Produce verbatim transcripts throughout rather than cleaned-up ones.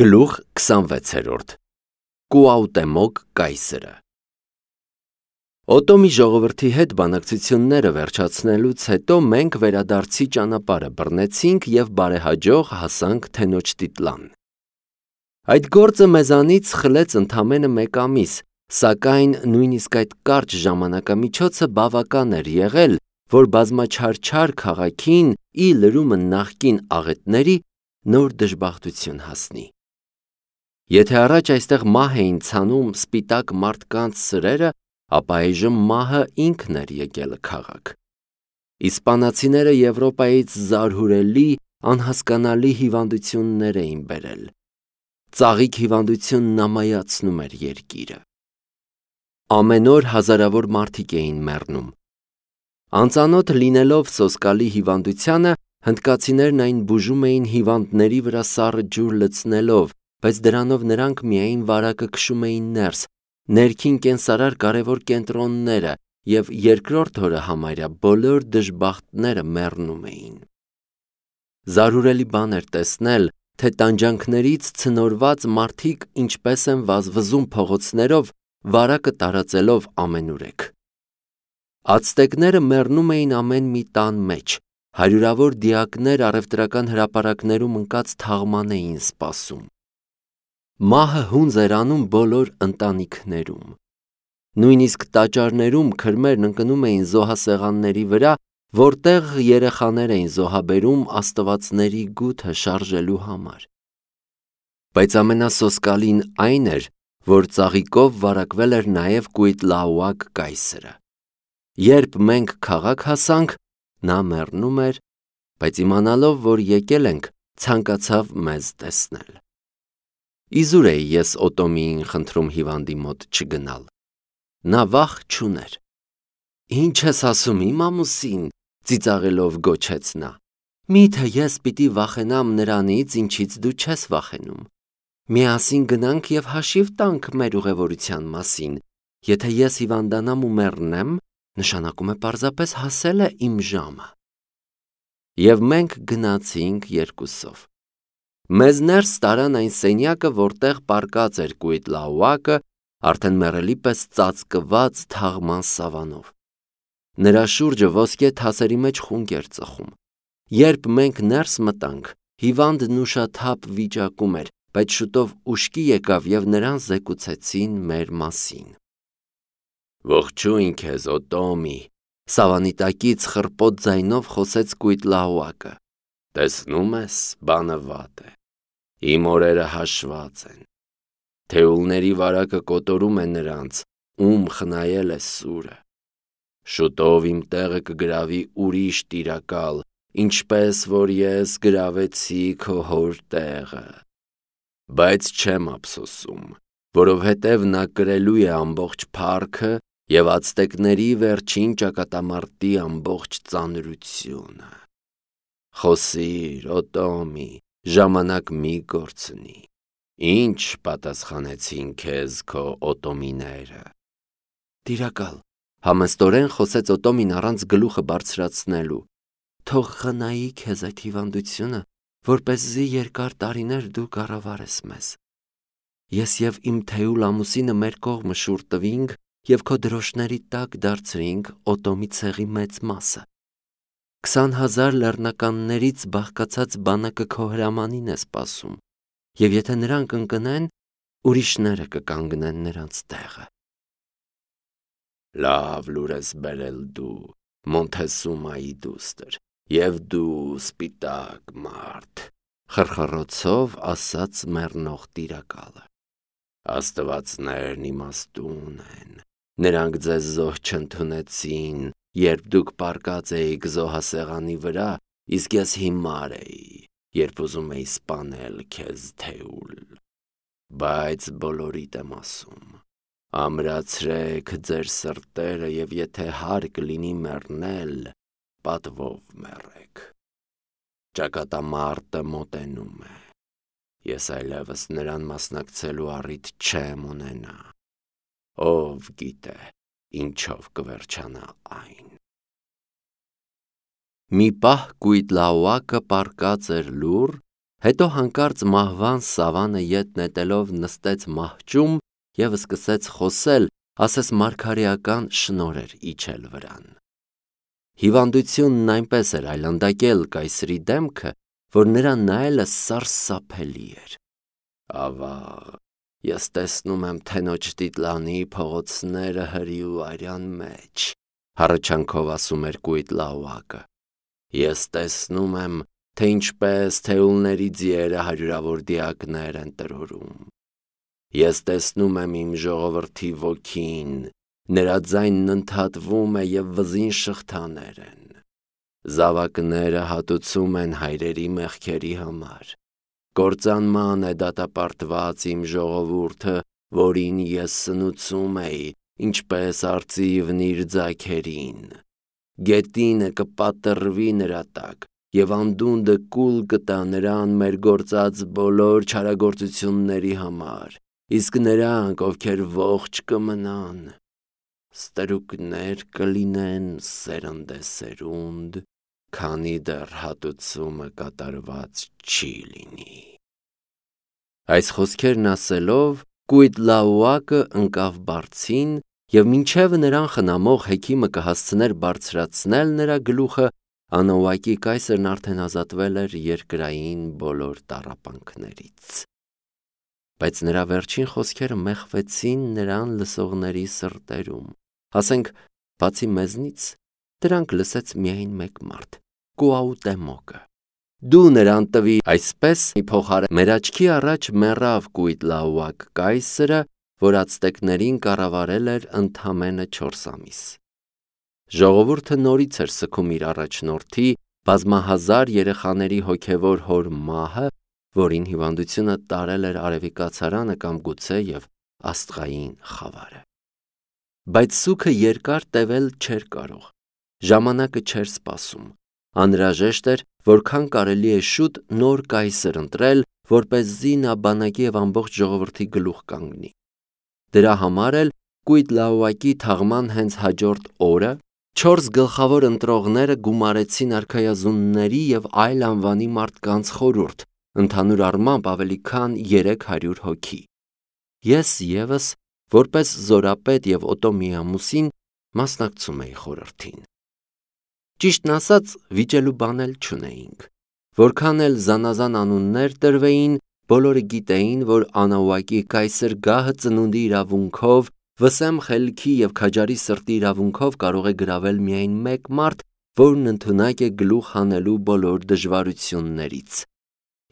Գլուխ քսանվեցերորդ Կուաուտեմոկ կայսրը Օտոմի ժողովրդի հետ բանակցությունները վերջացնելուց հետո մենք վերադարձի ճանապարհը բռնեցինք և բարեհաջող հասանք Թենոջ դիտլան։ Այդ գործը մեզանից խլեց ընդամենը մեկ ամիս, սակայն նույնիսկ այդ կարճ ժամանակամիջոցը բավական էր եղել, որ բազմաչարչար քաղաքին ի լրումն նախկին աղետների նոր դժբախտություն հասնի։ Եթե առաջ այստեղ մահ էին ցանում սպիտակ մարդկանց սրերը, ապա այժմ մահը ինքն էր եկել քաղաք։ Իսպանացիները Եվրոպայից զարհուրելի, անհասկանալի հիվանդություններ էին բերել։ Ծաղիկ հիվանդությունն ամայացնում էր երկիրը։ Ամեն օր հազարավոր մարդիկ էին մեռնում։ Անծանոթ լինելով սոսկալի հիվանդությանը, հնդկացիներն այն բուժում էին հիվանդների վրա սառը ջուր լցնելով, բայց դրանով նրանք միայն վարակը քշում էին ներս, ներքին կենսարար կարևոր կենտրոնները, և երկրորդ օրը համարյա բոլոր դժբախտները մեռնում էին։ Զարհուրելի բան էր տեսնել, թե տանջանքներից ցնորված մարդիկ ինչպես են վազվզում փողոցներով, վարակը տարածելով ամենուրեք։ Ացտեկները մեռնում էին ամեն մի տան մեջ, հարյուրավոր դիակներ առևտրական հրապարակներում ընկած թաղման էին սպասում։ Մահը հունձ էր անում բոլոր ընտանիքներում։ Նույնիսկ տաճարներում քրմերն ընկնում էին զոհասեղանների վրա, որտեղ երեխաներ էին զոհաբերում աստվածների գութը շարժելու համար։ Բայց ամենասոսկալին այն էր, որ ծաղիկով վարակվել էր նաև Կուիտլաուակ կայսրը։ Երբ մենք քաղաք հասանք, նա մեռնում էր, բայց իմանալով, որ եկել ենք, ցանկացավ մեզ տեսնել։ Իզուր էի ես Օտոմիին խնդրում հիվանդի մոտ չգնալ։ Նա վախ չուներ։ «Ինչ ես ասում, իմ ամուսին», ծիծաղելով գոչեց նա։ «Միթե ես պիտի վախենամ նրանից, ինչից դու չես վախենում։ Միասին գնանք և հաշիվ տանք մեր ուղևորության մասին։ Եթե ես հիվանդանամ ու մեռնեմ, նշանակում է պարզապես հասել է իմ ժամը»։ Եվ մենք գնացինք երկուսով։ Մեզ ներս տարան այն սենյակը, որտեղ պառկած էր Կուիտլաուակը, արդեն մեռելի պես ծածկված թաղման սավանով։ Նրա շուրջը ոսկե թասերի մեջ խունկ էր ծխում։ Երբ մենք ներս մտանք, հիվանդն ուշաթափ վիճակում էր, բայց շուտով ուշքի եկավ և նրան զեկուցեցին մեր մասին։ «Ողջույն քեզ, Օտոմի», սավանի տակից խռպոտ ձայնով խոսեց Կուիտլաուակը։ «Տեսնում ես, բանը վատ է։ Իմ օրերը հաշված են։ Թեուլների վարակը կոտորում է նրանց, ում խնայել է սուրը։ Շուտով իմ տեղը կգրավի ուրիշ տիրակալ, ինչպես որ ես գրավեցի քո հոր տեղը։ Բայց չեմ ափսոսում, որովհետև նա կրելու է ամբողջ փառքը և ացտեկների վերջին ճակատամարտի ամբողջ ծանրությունը։ Խոսիր, Օտոմի, ժամանակ մի կորցնի։ Ինչ պատասխանեցին քեզ քո օտոմիները»։ «Տիրակալ», համեստորեն խոսեց Օտոմին առանց գլուխը բարձրացնելու, «թող խնայի քեզ այդ հիվանդությունը, որպեսզի երկար տարիներ դու կառավարես մեզ։ Ես և իմ թեուլ ամուսինը մեր կողմը շուռ տվինք և քո դրոշների տակ դարձրինք Օտոմի ցեղի մեծ մասը։ Քսան հազար լեռնականներից բաղկացած բանակը քո հրամանին է սպասում, և եթե նրանք ընկնեն, ուրիշները կկանգնեն նրանց տեղը»։ «Լավ լուր ես բերել դու, Մոնթեսումայի դուստր, և դու սպիտակ մարդ», խռխռոցով ասաց մեռնող տիրակալը։ «Աստվածներն իմաստուն են, նրանք ձեզ զոհ չընդունեցին, երբ դուք պառկած էիք զոհասեղանի վրա, իսկ ես հիմար էի, երբ ուզում էի սպանել քեզ թեուլ։ Բայց բոլորիդ եմ ասում. ամրացրեք ձեր սրտերը և եթե հարկ լինի մեռնել, պատվով մեռեք։ Ճակատամարտը մոտենում է։ Ես այլևս նրան մասնակցելու առիթ չեմ ունենա։ Ով գիտե, ինչով կվերջանա այն»։ Մի պահ Կուիտլաուակը պառկած էր լուռ, Հետո հանկարծ մահվան սավանը ետ նետելով նստեց մահճում և սկսեց խոսել, ասես մարգարեական շնորհեր իջել վրան։ Հիվանդությունն այնպես էր այլանդակել կայսրի դեմքը, որ նրան նայելը սարսափելի էր։ Ավա, ես տեսնում եմ թենոջ Տիտլանի փողոցները հրի ու արյան մեջ, հառաչանքով ասում էր Կույտլաուակը։ Ես տեսնում եմ, թե ինչպես թեուլների ձիերը հարյուրավոր դիակներ են տրորում։ Ես տեսնում եմ իմ ժողովրդի ոգին, նրա ձայնն ընդհատվում է և վզին շղթաներ են։ Զավակները հատուցում են հայրերի մեղքերի համար։ Կործանման է դատապարտված իմ ժողովուրդը, որին ես սնուցում էի, ինչպես արծիվն իր ձագերին։ Գետինը կպատրվի նրա տակ, և անդունդը կուլ կտա նրան մեր գործած բոլոր չարագործությունների համար, իսկ նրանք, ովքեր ողջ կմնան, ստրուկներ կլինեն սերնդեսերունդ, քանի դեռ հատուցումը կատարված չի լինի։ Այս խոսքերն ասելով, Կույտլաուակը ընկավ բարձին, և մինչև նրան խնամող հեքիմը կհասցներ բարձրացնել նրա գլուխը, Անաուակի կայսրն արդեն ազատվել էր երկրային բոլոր տառապանքներից։ Բայց նրա վերջին խոսքերը մեխվեցին նրան լսողների սրտերում, ասենք, բացի մեզնից, դրանք լսեց միայն մեկ մարդ՝ Կուաուտեմոկը։ Դու նրան տվի այսպես փոխարեն մեր աչքի առաջ մեռավ Կույտլաուակ կայսրը, որ ացտեկներին կառավարել էր ընդամենը չորս ամիս։ Ժողովուրդը նորից էր սգում իր առաջնորդի, բազմահազար երեխաների հոգևոր հոր մահը, որին հիվանդությունը տարել էր արևի կացարանը կամ գուցե և աստղային խավարը։ Բայց սուգը երկար տևել չէր կարող, ժամանակը չէր սպասում, անհրաժեշտ էր, որքան կարելի է շուտ նոր կայսր ընտրել, որպեսզի նա բանակի և ամբողջ ժողովրդի գլուխ կանգնի։ Դրա համար էլ Կույտլաուակի թաղման հենց հաջորդ օրը չորս գլխավոր ընտրողները գումարեցին արքայազունների և այլ անվանի մարդկանց խորհուրդ, ընդհանուր առմամբ ավելի քան երեք հարյուր հոգի։ Ես ևս, որպես զորապետ և Օտոմի ամուսին, մասնակցում էի խորհրդին։ Ճիշտն ասած, վիճելու բան էլ չունեինք։ Որքան էլ զանազան անուններ տրվեին, բոլորը գիտեին, որ Անաուակի կայսր գահը ծնունդի իրավունքով, վսեմ խելքի և քաջարի սրտի իրավունքով կարող է գրավել միայն մեկ մարդ, որն ընդունակ է գլուխ հանելու բոլոր դժվարություններից։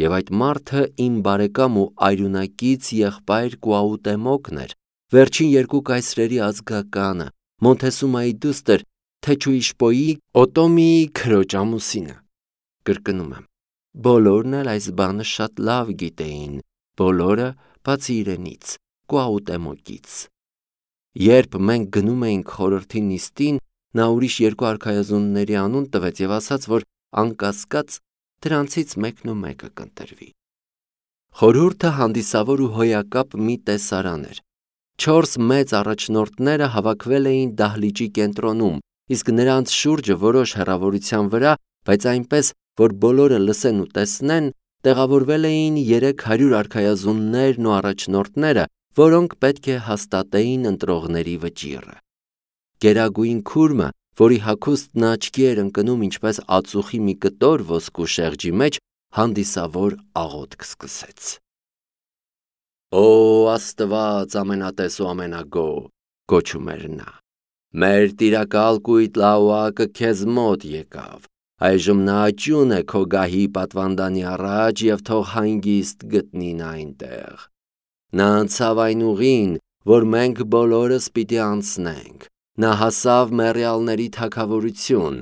Եվ այդ մարդը իմ բարեկամ ու այրունակից եղբայր Կուաուտեմոկն էր, վերջին երկու կայսրերի ազգականը, Մոնթեսումայի դուստր Թեչուիշպոյի Օտոմիի քրոջ ամուսինը։ Կրկնում եմ, բոլորն էլ այս բանը շատ լավ գիտեին, բոլորը բացի իրենից, Կուաուտեմոկից։ Երբ մենք գնում էինք խորհրդի նիստին, նա ուրիշ երկու արքայազունների անուն տվեց և ասաց, որ անկասկած դրանցից մեկն ու մեկը կընտրվի։ Խորհուրդը հանդիսավոր ու հոյակապ մի տեսարան էր։ Չորս մեծ առաջնորդները հավաքվել էին դահլիճի կենտրոնում, իսկ նրանց շուրջը որոշ հեռավորության վրա, բայց այնպես, որ բոլորը լսեն ու տեսնեն, տեղավորվել էին երեք հարյուր արքայազուններն ու առաջնորդները, որոնք պետք է հաստատեին ընտրողների վճիռը։ Գերագույն քուրմը, որի հագուստն աչքի էր ընկնում ինչպես ածուխի մի կտոր ոսկու շեղջի մեջ, հանդիսավոր աղոթք սկսեց. «Օ Աստված ամենատես ու ամենագոհ», գոչում էր նա, «մեր տիրակալ Կույտլաուակը քեզ մոտ եկավ, այժմ նա աճուն է քո գահի պատվանդանի առաջ և թող հանգիստ գտնի նա այնտեղ։ Նա անցավ այն ուղին, որ մենք բոլորս պիտի անցնենք, նա հասավ մեռյալների թագավորություն,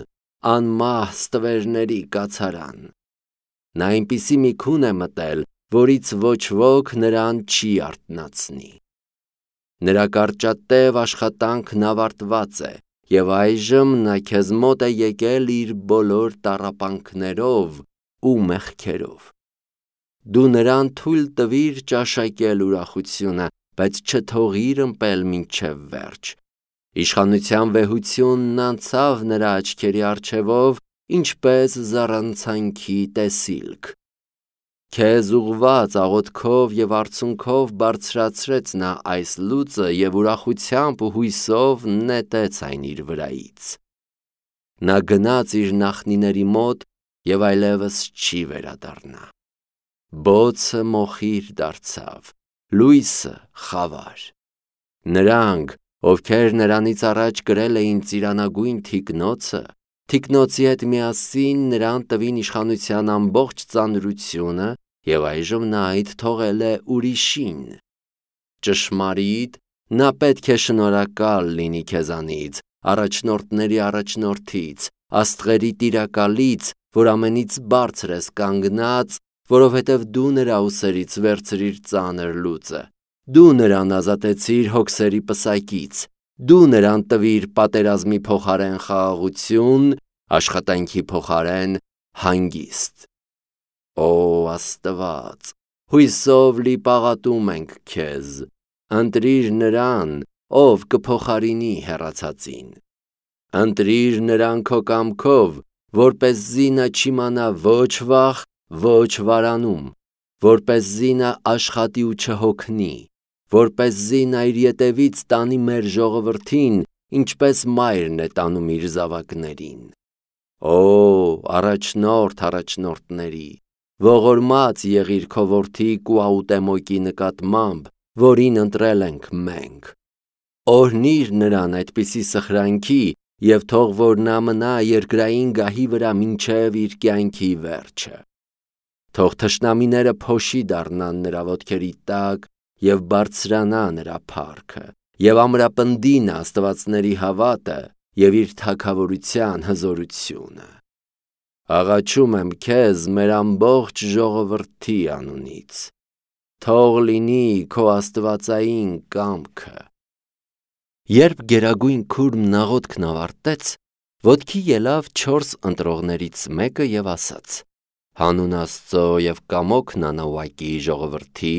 անմահ ստվերների կացարան։ Նա այնպիսի մի քուն է մտել, որից ոչ ոք նրան չի արթնացնի։ Նրա կարճատև աշխատանքն ավարտված է, և այժմ նա քեզ մոտ է եկել իր բոլոր տառապանքներով ու մեղքերով։ Դու նրան թույլ տվիր ճաշակել ուրախությունը, բայց չթողիր ըմպել մինչև վերջ։ Իշխանության վեհությունն անցավ նրա աչքերի առջևով, ինչպես զառանցանքի տեսիլք։ Քեզ ուղված աղոթքով եւ արցունքով բարձրացրեց նա այս լուծը եւ ուրախությամբ ու հույսով նետեց այն իր վրայից։ Նա գնաց իր նախնիների մոտ եւ այլևս չի վերադառնա։ Բոցը մոխիր դարձավ, լույսը խավար։ Նրանք, ովքեր նրանից առաջ կրել էին ծիրանագույն թիկնոցը, թիկնոցի հետ միասին նրան տվին իշխանության ամբողջ ծանրությունը եւ այժմ նա այդ թողել է ուրիշին։ Ճշմարիտ, նա պետք է շնորհակալ լինի քեզանից, առաջնորդների առաջնորդից, աստղերի տիրակալից, որ ամենից բարձր ես կանգնած, որովհետև դու նրա ուսերից վերցրիր ծանր լուծը, դու նրան ազատեցիր հոգսերի պսակից, դու նրան տվիր պատերազմի փոխարեն խաղաղություն, աշխատանքի փոխարեն հանգիստ։ Օ Աստված, հույսով լի պաղատում ենք քեզ, ընտրիր նրան, ով կփոխարինի հեռացածին։ Ընտրիր նրան քո կամքով, որպեսզի նա չիմանա ոչ վախ, ոչ վարանում, որպեսզի նա աշխատի ու չհոգնի, որպեսզի նա իր ետևից տանի մեր ժողովրդին, ինչպես մայրն է տանում իր զավակներին։ Օ առաջնորդ առաջնորդների, ողորմած եղիր քո որդի Կուաուտեմոկի նկատմամբ, որին ընտրել ենք մենք։ Օրհնիր նրան այդպիսի սխրանքի եւ թող որ նա մնա երկրային գահի վրա մինչև իր կյանքի վերջը։ Թող թշնամիները փոշի դառնան նրա ոտքերի տակ եւ բարձրանա նրա փառքը, եւ ամրապնդի նա աստվածների հավատը եւ իր թագավորության հզորությունը։ Աղաչում եմ քեզ մեր ամբողջ ժողովրդի անունից, թող լինի քո աստվածային կամքը։ Երբ գերագույն քուրմն աղոթքն ավարտեց, ոտքի ելավ չորս ընտրողներից մեկը եւ ասաց. Հանուն Աստծո եւ կամոքն անավակի ժողովրդի,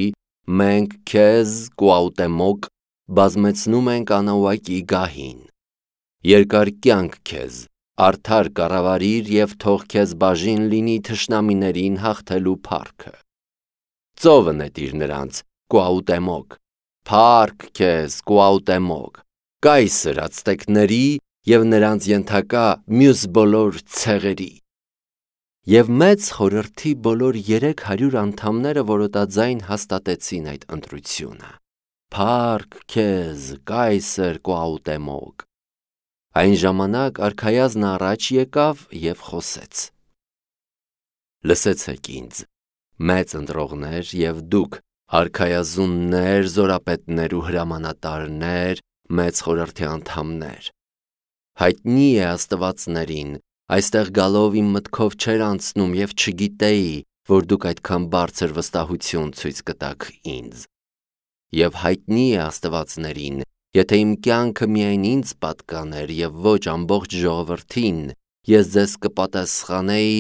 մենք քեզ Կուաուտեմոկ բազմեցնում ենք անավակի գահին։ Երկար կյանք քեզ, արդար կառավարիր եւ թող քեզ բաժին լինի թշնամիներին հաղթելու փառքը։ Ծովը նետիր նրանց, Կուաուտեմոկ, փառք քեզ, Կուաուտեմոկ, կայսր ացտեկների եւ նրանց ենթակա մյուս բոլոր ցեղերի։ Եվ մեծ խորհրդի բոլոր երեք հարյուր անդամները որոտաձայն հաստատեցին այդ ընտրությունը։ Փառք քեզ, կայսր Կուաուտեմոկ։ Այն ժամանակ արքայազնը առաջ եկավ եւ խոսեց. Լսեցեք ինձ, մեծ ընտրողներ եւ դուք, արքայազուններ, զորապետներ ու հրամանատարներ, մեծ խորհրդի անդամներ։ Հայտնի է աստվածներին, այստեղ գալով իմ մտքով չեր անցնում եւ չգիտեի, որ դուք այդքան բարձր վստահություն ցույց կտաք ինձ։ Եվ հայտնի է աստվածներին, եթե իմ կյանքը միայն ինձ պատկաներ եւ ոչ ամբողջ ժողովրդին, ես ձեզ կպատասխանեի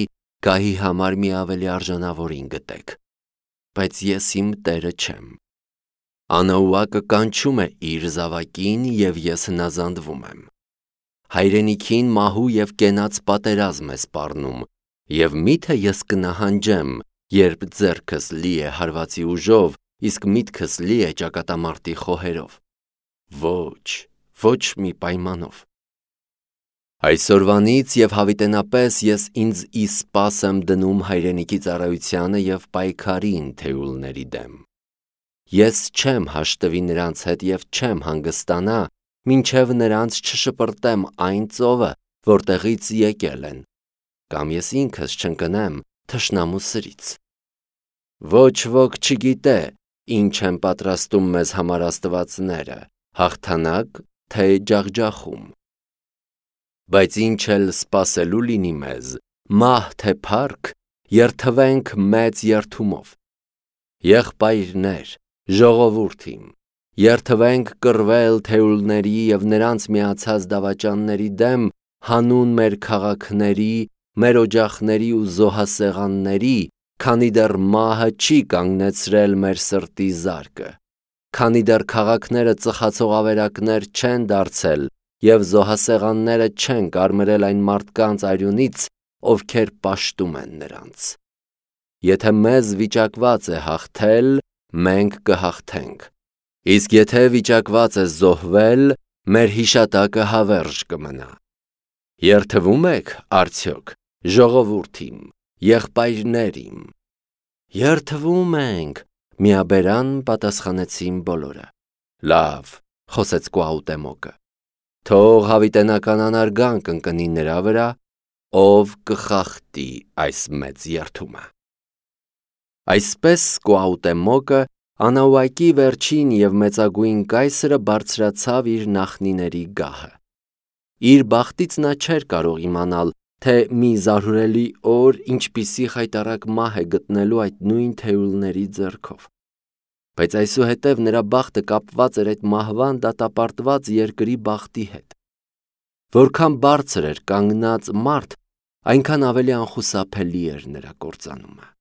գահի համար մի ավելի արժանավորին գտեք, բայց ես իմ Տերը չեմ։ Անաուակը կանչում է իր զավակին եւ ես հնազանդվում եմ։ Հայրենիքին մահու եւ կենաց պատերազմ է սպառնում, եւ միթե ես կնահանջեմ, երբ ձեռքս լի է հարվածի ուժով, իսկ միտքս լի է ճակատամարտի խոհերով։ Ոչ, ոչ մի պայմանով։ Այսօրվանից եւ հավիտենապես ես ինձ ի սպաս եմ դնում հայրենիքի ծառայությանը եւ պայքարին թեուլների դեմ։ Ես չեմ հաշտվի նրանց հետ եւ չեմ հանգստանա, մինչև նրանց չշպրտեմ այն ծովը, որտեղից եկել են, կամ ես ինքս չընկնեմ թշնամու սրից։ Ոչ ոք չգիտե, ինչ են պատրաստում մեզ համար աստվածները, հաղթանակ, թե ջախջախում։ Բայց ինչ էլ սպասելու լինի մեզ, մահ թե փառք, երթվենք մեծ երթումով։ Եղբայրներ, ժողովուրդ իմ, երթվենք կռվել թեուլների եւ նրանց միացած դավաճանների դեմ հանուն մեր քաղաքների, մեր օջախների ու զոհասեղանների, քանի դեռ մահը չի կանգնեցրել մեր սրտի զարկը, քանի դեռ քաղաքները ծխացող ավերակներ չեն դարձել եւ զոհասեղանները չեն կարմրել այն մարդկանց արյունից, ովքեր պաշտում են նրանց։ Եթե մեզ վիճակված է հաղթել, մենք կհաղթենք, իսկ եթե վիճակված է զոհվել, մեր հիշատակը հավերժ կմնա։ Երդվում եք, արդյոք, ժողովուրդ իմ, եղբայրներ իմ։ Երդվում ենք, միաբերան պատասխանեցին բոլորը։ Լավ, խոսեց Կուաուտեմոկը, թող հավիտենական անարգանք ընկնի նրա վրա, ով կխախտի այս մեծ երդումը։ Այսպես Կուաուտեմոկը, Անաուակի վերջին և մեծագույն կայսրը բարձրացավ իր նախնիների գահը։ Իր բախտից նա չէր կարող իմանալ, թե մի զարհուրելի օր ինչպիսի խայտառակ մահ է գտնելու այդ նույն թեյուլների ձեռքով։ Բայց այսուհետև նրա բախտը կապված էր այդ մահվան դատապարտված երկրի բախտի հետ։ Որքան բարձր էր կանգնած մարդ, այնքան ավելի անխուսափելի էր նրա կործանումը։